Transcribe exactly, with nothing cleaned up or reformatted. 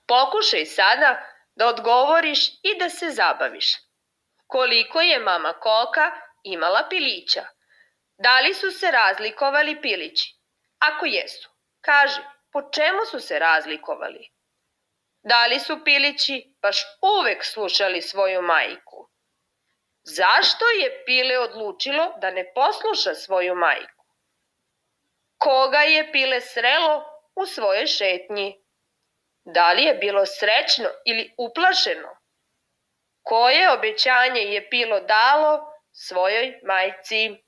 Pokušaj sada da odgovoriš i da se zabaviš. Koliko je mama Koka imala pilića? Da li su se razlikovali pilići? Ako jesu, kaži, po čemu su se razlikovali? Da li su pilići baš uvek slušali svoju majku? Zašto je Pile odlučilo da ne posluša svoju majku? Koga je Pile srelo u svojoj šetnji? Da li je bilo srećno ili uplašeno? Koje obećanje je Pilo dalo svojoj majci?